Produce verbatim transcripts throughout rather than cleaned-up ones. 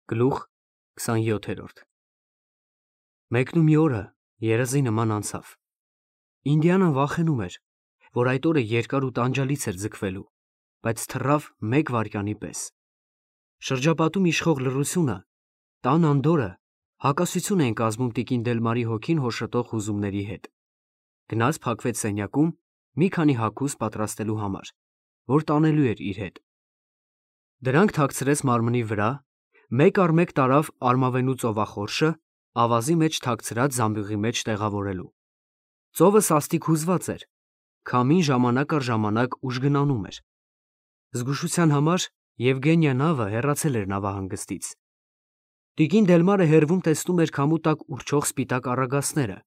Գլուխ քսանյոթերորդ Մեկն ու մի օրը երազի նման անցավ։ Ինդիանան վախենում էր, որ այդ օրը երկար ու տանջալից էր ձգվելու, բայց թռավ մեկ վայրկյանի պես։ Շրջապատում իշխող լռությունը, տան անդորրը հակասություն էին կազմում տիկին Դելմարի հոգին հոշոտող հուզումների հետ։ Գնաց փակվեց սենյակում մի քանի հագուստ պատրաստելու համար, որ տանելու էր իր հետ։ Դրանք թաքցրեց մարմնի վրա, մեկ առ մեկ տարավ արմավենու ծովախորշը, ավազի մեջ թաքցրած զամբյուղի մեջ տեղավորելու։ Ծովը սաստիկ հուզված էր, քամին ժամանակ առ ժամանակ ուժգնանում էր։ Զգուշության համար Եվգենիա նավը հեռացել էր նավահանգստից։ Տիկին Դելմարը հեռվում տեսնում էր քամու տակ ուռչող սպիտակ առագաստները,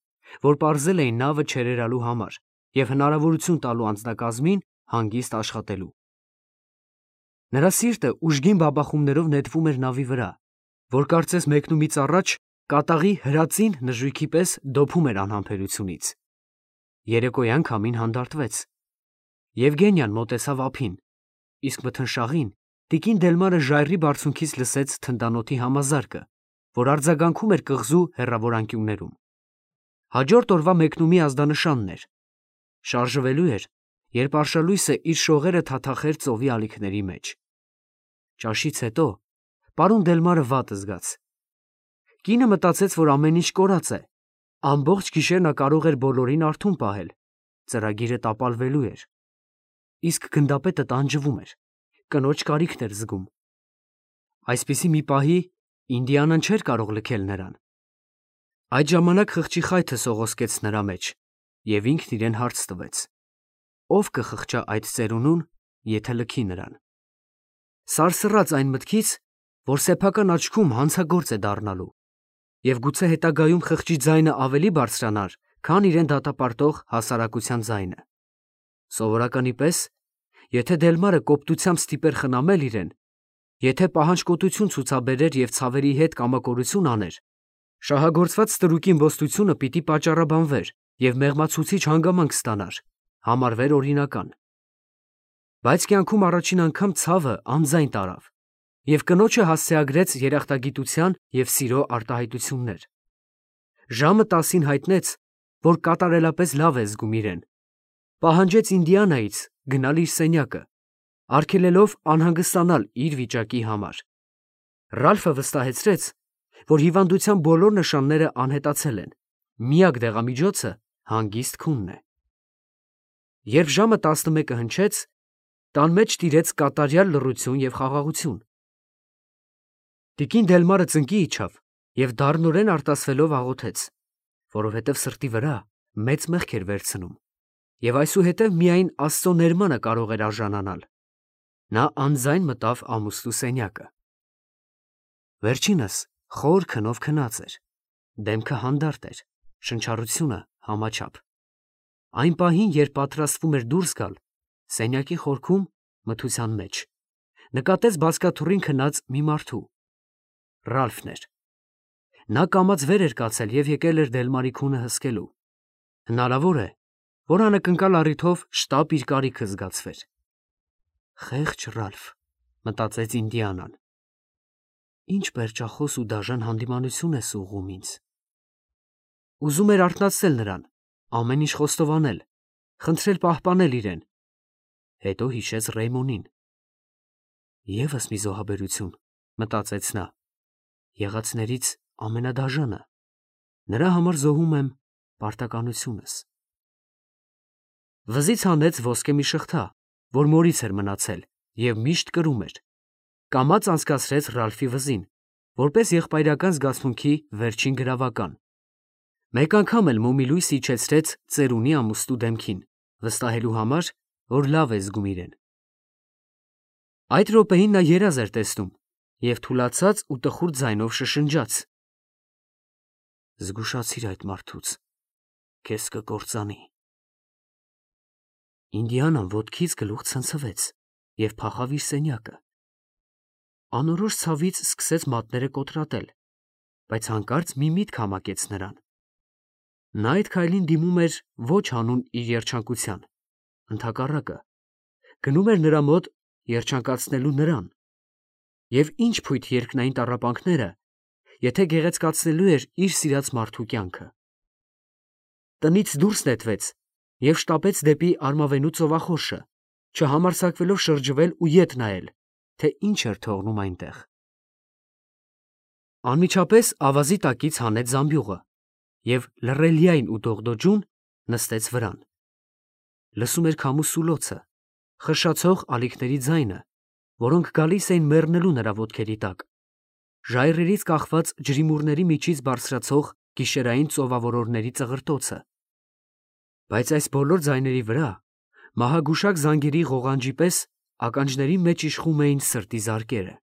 որ պարզել էին նավը չերերալու համար և հնարավորություն տալու անձնակազմին հանգիստ աշխատելու։ Նրա սիրտը ուժգին բաբախումներով նետվում էր նավի վրա, որ կարծես մեկնումից առաջ կատաղի հրածին նժույգի պես դոփում էր անհամբերությունից։ Երեկոյան քամին հանդարտվեց։ Եվգենիան մոտեցավ ափին, իսկ մթնշաղին տիկին Դելմարը ժայռի բարձունքից լսեց թնդանոթի համազարկը, որ արձագանքում էր կղզու հեռավոր անկյուններում։ Հաջորդ օրվա մեկնումի ազդանշանն էր։ Շարժվելու էր, երբ արշալույսը իր շողերը թաթախեր ծովի ալիքների մեջ։ Ճաշից հետո պարոն Դելմարը վատ զգաց։ Կինը մտածեց, որ ամեն ինչ կորած է։ Ամբողջ գիշեր նա կարող էր բոլորին արթուն պահել, ծրագիրը տապալվելու էր։ Իսկ գնդապետը տանջվում էր, կնոջ կարիքն էր զգում։ Այսպիսի մի պահի Ինդիանան չէր կարող լքել նրան։ Այդ ժամանակ խղճի խայթը սողոսկեց նրա մեջ, և ինքն իրեն հարց տվեց. ով կխղճա այդ ծերունուն, եթե լքի նրան։ Սարսռաց այն մտքից, որ սեփական աչքում հանցագործ է դառնալու, և գուցե հետագայում խղճի ձայնը ավելի բարձրանար, քան իրեն դատապարտող հասարակության ձայնը։ Սովորականի պես, եթե Դելմարը կոպտությամբ ստիպեր խնամել իրեն, եթե պահանջկոտություն ցուցաբերեր և ցավերի հետ կամակորություն աներ, շահագործված ստրուկի իմպոստությունը պիտի պատճառաբանվեր և մեղմացուցիչ հանգամանք ստանար, համարվեր օրինական։ Բայց կյանքում առաջին անգամ ցավը անձայն տարավ և կնոջը հասցեագրեց երախտագիտության և սիրո արտահայտություններ։ Ժամը տասին հայտնեց, որ կատարելապես լավ է զգում իրեն, պահանջեց Ինդիանայից գնալ իր սենյակը, արգելելով անհանգստանալ իր վիճակի համար։ Ռալֆը վստահեցրեց, որ հիվանդության բոլոր նշանները անհետացել են, միակ դեղամիջոցը հանգիստ քունն է։ Երբ ժամը տասնմեկը հնչեց, տան մեջ տիրեց կատարյալ լռություն և խաղաղություն։ Տիկին Դելմարը ծնկի իջավ և դառնորեն արտասվելով աղոթեց, որովհետև սրտի վրա մեծ մեղք էր վերցնում, և այսուհետև միայն Աստծո ներմանը կարող էր արժանանալ։ Նա անձայն մտավ ամուսնու սենյակը։ Վերջինս խոր քնով քնած էր, դեմքը հանդարտ էր, շնչառությունը համաչափ։ Այն պահին, երբ պատրաստվում էր դուրս գալ, սենյակի խորքում, մթության մեջ, նկատեց բազկաթոռին քնած մի մարդու։ Ռալֆն էր։ Նա կամաց վեր էր կացել և եկել էր Դելմարի քունը հսկելու։ Հնարավոր է, որ անակնկալ առիթով շտապ իր կարիքը զգացվեր։ Խեղճ Ռալֆ, մտածեց Ինդիանան, ինչ պերճախոս ու դաժան հանդիմանություն ես ուղղում ինձ։ Ուզում էր արթնացնել նրան, ամեն ինչ խոստովանել, խնդրել պահպանել իրեն։ Հետո հիշեց Ռեյմոնին։ Եվս մի զոհաբերություն, մտածեց նա, եղածներից ամենադաժանը, նրա համար զոհում եմ պարտականությունս։ Վզից հանեց ոսկե մի շղթա, որ մորից էր մնացել և միշտ կրում էր, կամաց անցկացրեց Ռալֆի վզին, որպես եղբայրական զգացմունքի վերջին գրավական։ Մեկ անգամ էլ մոմի լույս իջեցրեց ծերունի ամուսնու դեմքին, վստահելու համար, որ լավ է զգում իրեն։ Այդ րոպեին նա երազ էր տեսնում և թուլացած ու տխուր ձայնով շշնջաց. «Զգուշացիր այդ մարդուց, քեզ կկործանի»։ Ինդիանան ոտքից գլուխ ցնցվեց և փախավ իր սենյակը։ Անորոշ ցավից սկսեց մատները կոտրատել, բայց հանկարծ մի միտք համակեց նրան։ Նա այդ քայլին դիմում էր ոչ հանուն իր երջանկության, ընդհակառակը, գնում էր նրա մոտ երջանկացնելու նրան։ Եվ ինչ փույթ երկնային տառապանքները, եթե գեղեցկացնելու էր իր սիրած մարդու կյանքը։ Տնից դուրս նետվեց և շտապեց դեպի արմավենու ծովախորշը, չհամարձակվելով շրջվել ու ետ նայել, թե ինչ էր թողնում այնտեղ։ Անմիջապես ավազի տակից հանեց զամբյուղը և լռելիայն ու դողդոջուն նստեց վրան։ Լսում էր քամու սուլոցը, խշշացող ալիքների ձայնը, որոնք գալիս էին մեռնելու նրա ոտքերի տակ, ժայռերից կախված ջրիմուռների միջից բարձրացող գիշերային ծովավորորների ծղրտոցը։ Բայց այս բոլոր ձայների վրա մահագուշակ զանգերի ղողանջի պես ականջների մեջ իշխում էին սրտի զարկերը։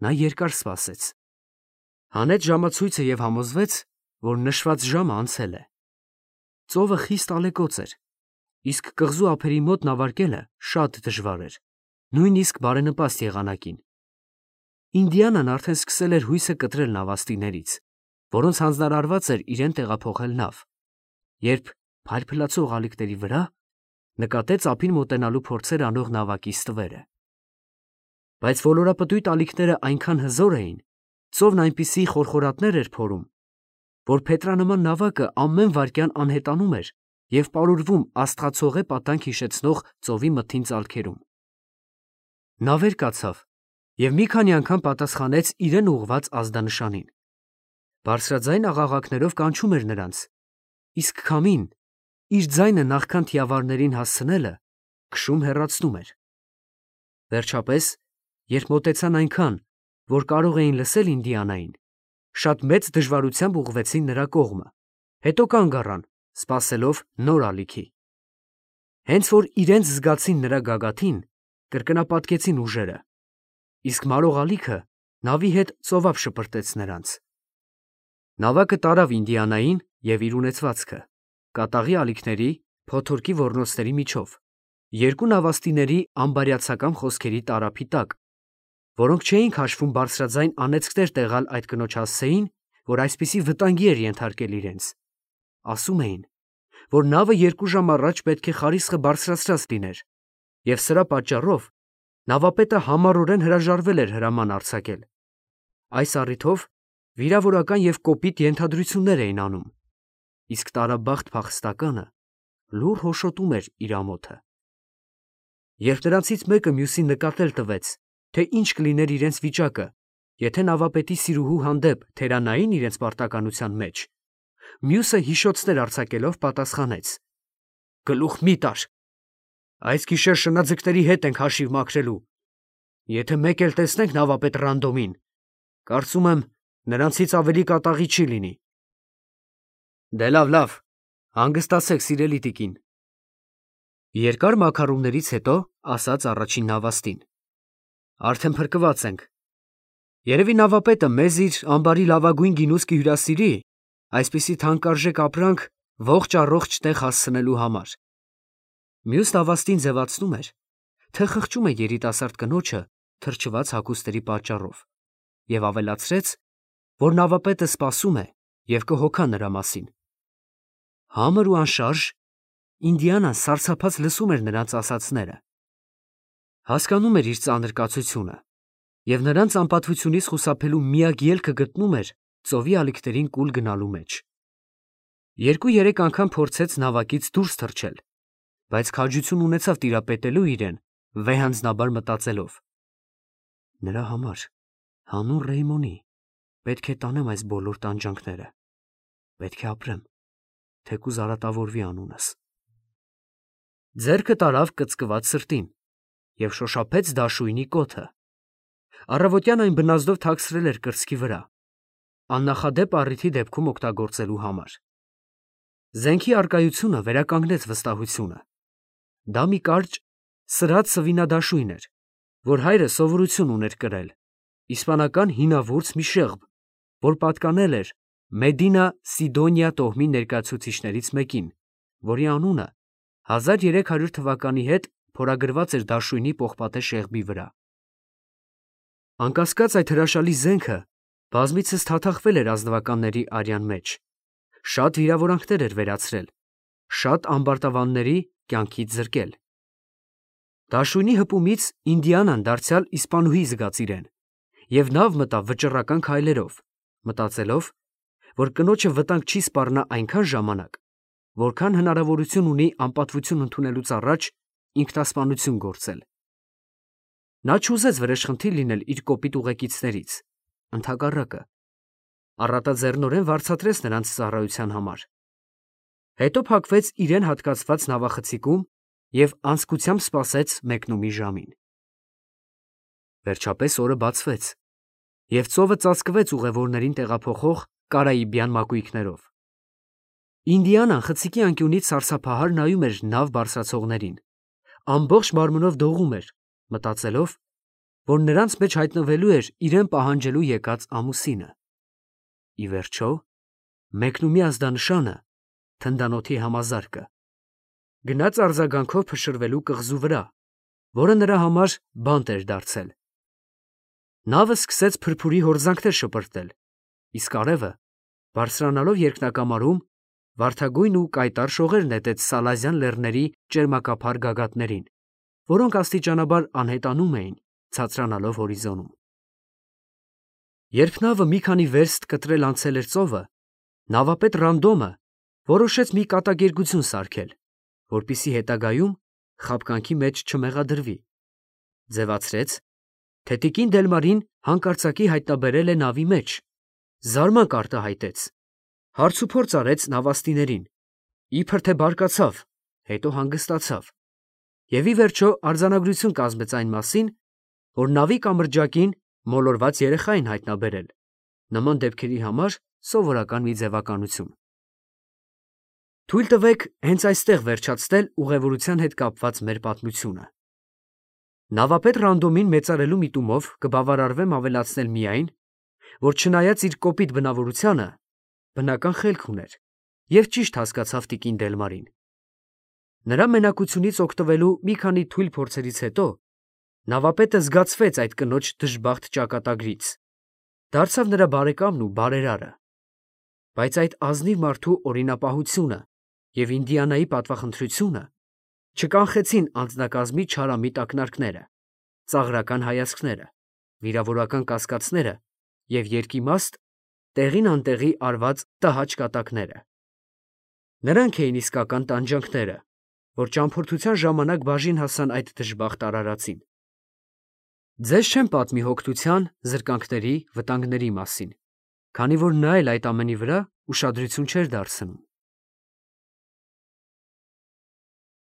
Նա երկար սպասեց, հանեց ժամացույցը և համոզվեց, որ նշված ժամը անցել է։ Ծովը խիստ ալեկոծ էր, իսկ կղզու ափերի մոտ նավարկելը շատ դժվար էր, նույնիսկ բարենպաստ եղանակին։ Ինդիանան արդեն սկսել էր հույսը կտրել նավաստիներից, որոնց հանձնարարված էր իրեն տեղափոխել նավ, երբ փայլփլացող ալիքների վրա նկատեց ափին մոտենալու փորձեր անող նավակի ստվերը։ Բայց ոլորապտույտ ալիքները այնքան հզոր էին, ծովն այնպիսի խորխորատներ էր փորում, որ փետրանման նավակը ամեն վայրկյան անհետանում էր և պարուրվում աստղացողե պատանք հիշեցնող ծովի մթին ծալքերում։ Նա վեր կացավ և մի քանի անգամ պատասխանեց իրեն ուղղված ազդանշանին։ Բարձրաձայն աղաղակներով կանչում էր նրանց, իսկ քամին, իր ձայնը նախքան թիավարներին հասցնելը, քշում հեռացնում էր։ Վերջապես, երբ մոտեցան այնքան, որ կարող էին լսել Ինդիանային, շատ մեծ դժվարությամբ ուղղվեցին նրա կողմը, հետո կանգ առան, սպասելով նոր ալիքի։ Հենց որ իրենց զգացին նրա գագաթին, կրկնապատկեցին ուժերը, իսկ մարող ալիքը նավի հետ ծովափ շպրտեց նրանց։ Նավակը տարավ Ինդիանային և իր ունեցվածքը, կատաղի ալիքների, փոթորկի ոռնոցների միջով, երկու նավաստիների անբարյացակամ խոսքերի տարափի տակ, որոնք չէին քաշվում բարձրաձայն անեծքներ տեղալ այդ կնոջ հասցեին, որ այսպիսի վտանգի էր ենթարկել իրենց։ Ասում էին, որ նավը երկու ժամ առաջ պետք է խարիսխը բարձրացրած լիներ, և սրա պատճառով նավապետը համառորեն հրաժարվել էր հրաման արձակել։ Այս առիթով վիրավորական և կոպիտ ենթադրություններ էին անում, իսկ տարաբախտ փախստականը լուռ հոշոտում էր իր ամոթը։ Երբ նրանցից մեկը մյուսին նկատել տվեց, թե ինչ կլիներ իրենց վիճակը, եթե նավապետի սիրուհու հանդեպ թերանային իրենց պարտականության մեջ, մյուսը հիշոցներ արձակելով պատասխանեց. «Գլուխ մի տար, այս գիշեր շնաձկների հետ ենք հաշիվ մաքրելու, եթե մեկ էլ տեսնենք նավապետ Ռանդոմին, կարծում եմ, նրանցից ավելի կատաղի չի լինի»։ Դե լավ, լավ, հանգստացեք, սիրելի տիկին, երկար մաքարումներից հետո ասաց առաջին նավաստին, արդեն փրկված ենք։ Երևի նավապետը մեզ իր ամբարի լավագույն գինուս կհյուրասիրի այսպիսի թանկարժեք ապրանք ողջ առողջ տեղ հասցնելու համար։ Մյուս նավաստին ձևացնում էր, թե խղճում է երիտասարդ կնոջը թրջված հագուստերի պատճառով, և ավելացրեց, որ նավապետը սպասում է և կհոգա նրա մասին։ Համր ու անշարժ Ինդիանան սարսափած լսում էր նրանց ասածները։ Հասկանում էր իր ծանր կացությունը և նրանց անպատվությունից խուսափելու միակ ելքը գտնում էր ծովի ալիքներին կուլ գնալու մեջ։ Երկու֊երեք անգամ փորձեց նավակից դուրս թռչել, բայց քաջություն ունեցավ տիրապետելու իրեն, վեհանձնաբար մտածելով. նրա համար, հանուն Ռեյմոնի, պետք է տանեմ այս բոլոր տանջանքները, պետք է ապրեմ, թեկուզ արատավորվի անունս։ Ձեռքը տարավ կծկված սրտին և շոշափեց դաշույնի կոթը։ Առավոտյան այն բնազդով թաքցրել էր կրծքի վրա, աննախադեպ առիթի դեպքում օգտագործելու համար։ Զենքի առկայությունը վերականգնեց վստահությունը։ Դա մի կարճ, սրած սվինադաշույն էր, որ հայրը սովորություն ուներ կրել, իսպանական հինավուրց մի շեղբ, որ պատկանել էր Մեդինա Սիդոնիա տոհմի ներկայացուցիչներից մեկին, որի անունը հազար երեք հարյուր թվականի հետ փորագրված էր դաշույնի պողպատե շեղբի վրա։ Անկասկած այդ հրաշալի զենքը բազմիցս թաթախվել էր ազնվականների արյան մեջ, շատ վիրավորանքներ էր վերացրել, շատ ամբարտավանների կյանքից զրկել։ Դաշույնի հպումից Ինդիանան դարձյալ իսպանուհի զգաց իրեն, և նավ մտավ վճռական քայլերով, մտածելով, որ կնոջը վտանգ չի սպառնա այնքան ժամանակ, որքան հնարավորություն ունի անպատվություն ընդունելուց առաջ ինքնասպանություն գործել։ Նա չուզեց վրեժխնդիր լինել իր կոպիտ ուղեկիցներից, ընդհակառակը, առատաձեռնորեն վարձատրեց նրանց ծառայության համար։ Հետո փակվեց իրեն հատկացված նավախցիկում և անձկությամբ սպասեց մեկնումի ժամին։ Վերջապես օրը բացվեց, և ծովը ծածկվեց ուղևորներին տեղափոխող կարաիբյան մակույկներով։ Ինդիանան խցիկի անկյունից սարսափահար նայում էր նավ բարձրացողներին, ամբողջ մարմնով դողում էր, մտածելով, որ նրանց մեջ հայտնվելու էր իրեն պահանջելու եկած ամուսինը։ Ի վերջո, մեկնումի ազդանշանը թնդանոթի համազարկը գնաց արձագանքով փշրվելու կղզու վրա, որը նրա համար բանտ էր դարձել։ Նավը սկսեց փրփուրի հորձանքներ շպրտել, իսկ արևը, բարձրանալով երկնակամարում, վարդագույն ու կայտառ շողեր նետեց Սալազյան լեռների ճերմակափար գագաթներին, որոնք աստիճանաբար անհետանում էին, ցածրանալով հորիզոնում։ Երբ նավը մի քանի վերստ կտրել անցել էր ծովը, նավապետ Ռանդոմը որոշեց մի կատակերգություն սարքել, որպեսզի հետագայում խաբկանքի մեջ չմեղադրվի։ Ձևացրեց, թե տիկին Դելմարին հանկարծակի հայտնաբերել է նավի մեջ, զարմանք արտահայտեց, հարցուփորձ արեց նավաստիներին, իբր թե բարկացավ, հետո հանգստացավ, և ի վերջո արձանագրություն կազմեց այն մասին, որ նավի կամրջակին մոլորված երեխա են հայտնաբերել, նման դեպքերի համար սովորական մի ձևականություն։ Թույլ տվեք հենց այստեղ վերջացնել ուղևորության հետ կապված մեր պատմությունը։ Նավապետ Ռանդոմին մեծարելու միտումով կբավարարվեմ ավելացնել միայն, որ չնայած իր կոպիտ բնավորությանը, բնական խելք ուներ և ճիշտ հասկացավ տիկին Դելմարին։ Նրա մենակությունից օգտվելու մի քանի թույլ փորձերից հետո նավապետը զգացվեց այդ կնոջ դժբախտ ճակատագրից, դարձավ նրա բարեկամն ու բարերարը։ Բայց այդ ազնիվ մարդու օրինապահությունը և Ինդիանայի պատվախնդրությունը չկանխեցին անձնակազմի չարամիտ ակնարկները, ծաղրական հայացքները, վիրավորական կասկածները և երկիմաստ, տեղին անտեղի արված տհաճ կատակները։ Նրանք էին իսկական տանջանքները, որ ճամփորդության ժամանակ բաժին հասան այդ դժբախտ արարածին։ Ձեզ չեմ պատմի հոգնության, զրկանքների, վտանգների մասին, քանի որ նա էլ այդ ամենի վրա ուշադրություն չէր դարձնում։